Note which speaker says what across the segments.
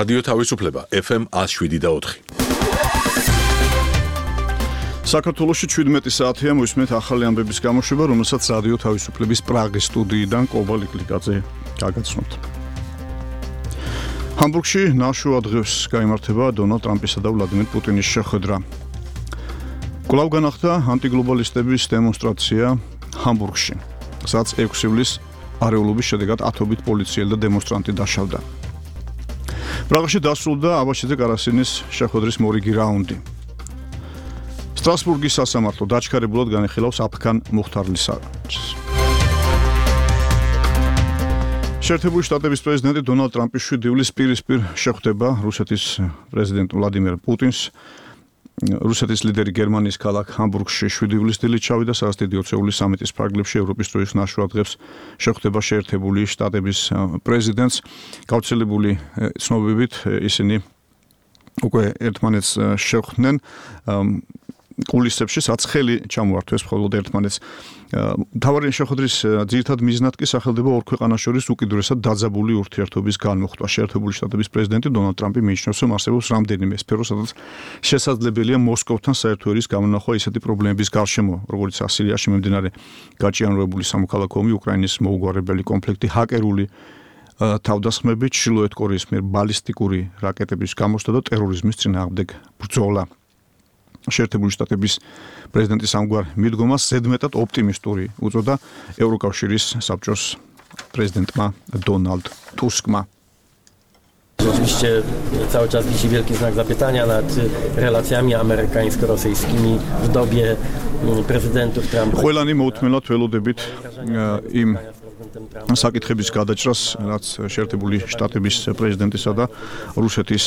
Speaker 1: რადიო თავისუფლება FM 107.4.
Speaker 2: საქართველოში 17 საათია მოისმენთ ახალი ამბების გამოშვება, რომელსაც რადიო თავისუფლების პრაღის სტუდიიდან კობალ იკლიკაძე გაგაცნობთ. ჰამბურგში ნაშუა დღეს გაიმართება დონალდ ტრამპისა და ვლადიმერ პუტინის შეხვედრა. კვლავ განახდა ანტიგლობალისტების დემონსტრაცია ჰამბურგში, სადაც 6 ივლისს არეულობის შედეგად ათობით პოლიციელი და დემონსტრანტი დაშავდა. პრაღაში დასრულდა აბაშიძე კარასინის შეხვედრის მორიგი რაუნდი. სტრასბურგის სასამართლო დაჩქარებულად განიხილავს აფხან მუხთარლის საქმეს. შეერთებული შტატების პრეზიდენტი დონალდ ტრამპი 7 ივლისს პირისპირ შეხვდება რუსეთის პრეზიდენტ ვლადიმერ პუტინს. რუსეთის ლიდერი გერმანიის ქალაქ ჰამბურგში 7 ივლისს დილით ჩავიდა, სადაც დიდი ოცეული სამიტის ფარგლებში ევროპის დროის ნაშუა დღეს შეხვდება შეერთებული შტატების პრეზიდენტს. გავრცელებული ცნობებით ისინი უკვე ერთმანეთს შეხვდნენ კულისებში, სადაც ხელი ჩამოართვეს მხოლოდ ერთმანეთს. მთავარი შეხვედრის ძირითად მიზნად კი სახელდება ორ ქვეყანას შორის უკიდურესად დაძაბული ურთიერთობის განმუხტვა. შეერთებული შტატების პრეზიდენტი დონალდ ტრამპი მიიჩნევს, რომ არსებობს რამდენიმე სფერო, სადაც შესაძლებელია მოსკოვთან საერთო ერის გამონახვა ისეთი პრობლემების გარშემო, როგორც სირიაში მიმდინარე გაჭიანურებული სამოქალაქო ომი, უკრაინის მოუგვარებელი კონფლიქტი, ჰაკერული თავდასხმები, ჩრდილოეთ კორეის მიერ ბალისტიკური რაკეტების გამოსვლა და ტერორიზმის წინააღმდეგ ბრძოლა. შეერთებული შტატების პრეზიდენტის ამგვარ მიდგომას ზედმეტად ოპტიმისტური უწოდა ევროკავშირის საბჭოს პრეზიდენტმა Donald Tusk'ma.
Speaker 3: Oczywiście cały czas wisi wielki znak zapytania nad relacjami amerykańsko-rosyjskimi w dobie prezydentów Trumpa.
Speaker 2: ყველანი მოუთმენლად ველოდებით იმ საკითხების გადაჭრას, რაც შეერთებული შტატების პრეზიდენტისა და რუსეთის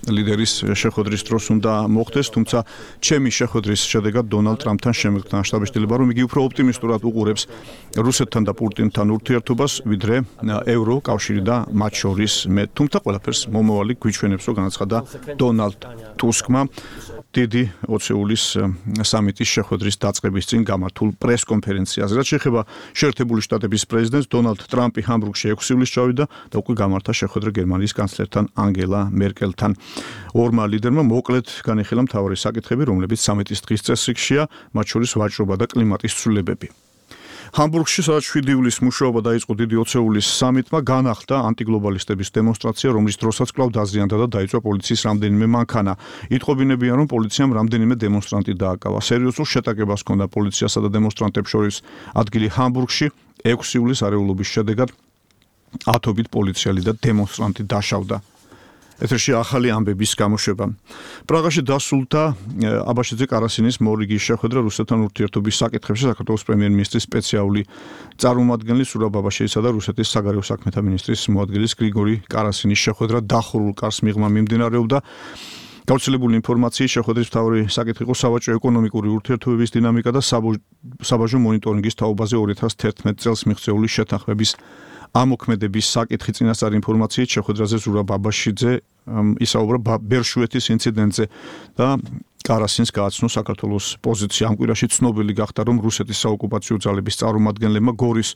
Speaker 2: ლიდერის შეხვედრის დროს უნდა მოხდეს, თუმცა ჩემი შეხვედრის შედეგად დონალდ ტრამპთან შემეგრთან შტაბ-შტილება, რომ იგი უფრო ოპტიმისტურად უყურებს რუსეთთან და პუტინთან ურთიერთობას, ვიდრე ევროკავშირი და მათ შორის მე. თუმცა ყველაფერს მომავალი გვიჩვენებს, რომ განაცხადა დონალდ ტუსკმა დიდი 20 ივლისს სამიტის შეხვედრის დაწყების წინ გამართულ პრეს-კონფერენციაზე. რაც შეეხება შეერთებული შტატების პრეზიდენტს დონალდ ტრამპი ჰამბურგში 6 ივლისს ჩავიდა და უკვე გამართა შეხვედრა გერმანიის კანცლერთან ანგელა მერკელთან. ორმა ლიდერმა მოკლედ განიხილა მთავარი საკითხები, რომლებიც სამიტის დღის წესრიგშია, მათ შორის ვაჭრობა და კლიმატის ცვლილებები. ჰამბურგში სადაც 7 ივლისს მუშაობა დაიწყო დიდი 20 ივლისს სამიტმა, განახდა ანტიგლობალისტების დემონსტრაცია, რომლის დროსაც კვლავ დაზიანდა და დაიწყო პოლიციის რამდენიმე მანქანა. იტყობინებიან, რომ პოლიციამ რამდენიმე დემონსტრანტი დააკავა. სერიოზულ შეტაკებას ჰქონდა პოლიციასა და დემონსტრანტებს შორის ადგილი ჰამბურგში. 6 ივლისს არეულობის შედეგად ათობით პოლიციელი და დემონსტრანტი დაშავდა. ეთერში ახალი ამბების გამოშვება. პრაღაში დასრულდა აბაშიძე კარასინის მორიგი შეხვედრა რუსეთთან ურთიერთობის საკითხებში. საქართველოს პრემიერ-მინისტრის სპეციალური წარმომადგენლის სურაბ აბაშიძისა და რუსეთის საგარეო საქმეთა მინისტრის მოადგილის გრიგორი კარასინის შეხვედრა დახურულ კარს მიღმა მიმდინარეობდა. გავრცელებული ინფორმაციის შეხვედრის მთავარი საკითხი იყო სავაჭრო ეკონომიკური ურთიერთობების დინამიკა და საბაჟო მონიტორინგის თაობაზე 2011 წელს მიღწეული შეთანხმების ამოქმედების საკითხი. წინასწარი ინფორმაციით შეხვედრაზე ზურაბ აბაშიძე ისაუბრა ბერშვეთის ინციდენტზე და კარასინს გააცნო საქართველოს პოზიცია. ამ კვირაში ცნობილი გახდა, რომ რუსეთის საოკუპაციო ძალების წარმომადგენლებმა გორის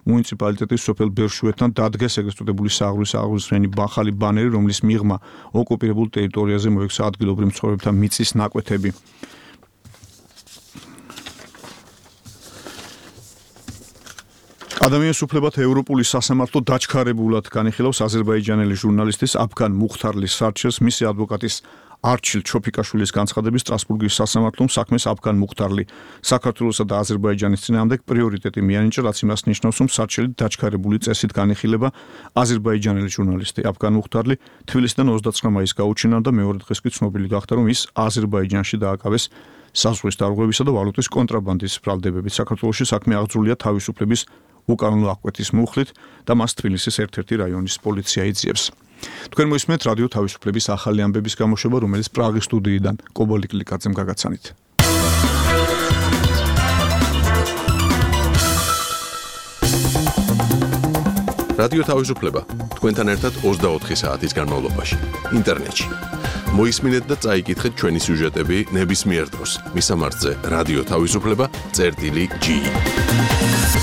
Speaker 2: მუნიციპალიტეტის სოფელ ბერშვეთთან დადგეს ეგრეთ წოდებული სააღმრიანი ახალი ბანერი, რომლის მიღმა ოკუპირებულ ტერიტორიაზე მოექცა ადგილობრივ მცხოვრებთა მიწის ნაკვეთები. ადამიანის უფლებათა ევროპული სასამართლო დაჩქარებულად განიხილავს აზერბაიჯანელი ჟურნალისტის აფხან მუხთარლის სარჩელს. მისი ადვოკატის არჩილ ჩოფიკაშვილის განცხადების სტრასბურგის სასამართლომ საქმეს აფხან მუხთარლი საქართველოსა და აზერბაიჯანის წინააღმდეგ პრიორიტეტი მიანიჭა, რაც იმას ნიშნავს, რომ სარჩელი დაჩქარებული წესით განიხილება. აზერბაიჯანელი ჟურნალისტი აფხან მუხთარლი თბილისიდან 29 მაისს გაუჩინა და მეორე დღეს კი ცნობილი გახდა, რომ ის აზერბაიჯანში დააკავეს საზღვრის დარღვევისა და ვალუტის კონტრაბანდის ბრალდებებით. საქართველოში საქმე აღძრულია თავისუფლების უკანონო აღკვეთის მუხლით და მას თბილისის ერთ-ერთი რაიონის პოლიცია იძიებს. თქვენ მოისმენთ რადიო თავისუფლების ახალი ამბების გამოშვება, რომელიც პრაღის სტუდიიდან კობალ იკლიკაძემ გაგაცანით.
Speaker 1: რადიო თავისუფლება თქვენთან ერთად 24 საათის განმავლობაში ინტერნეტში. მოისმინეთ და წაიკითხეთ ჩვენი სიუჟეტები ნებისმიერ დროს. მისამართზე რადიო თავისუფლება წერტილი G.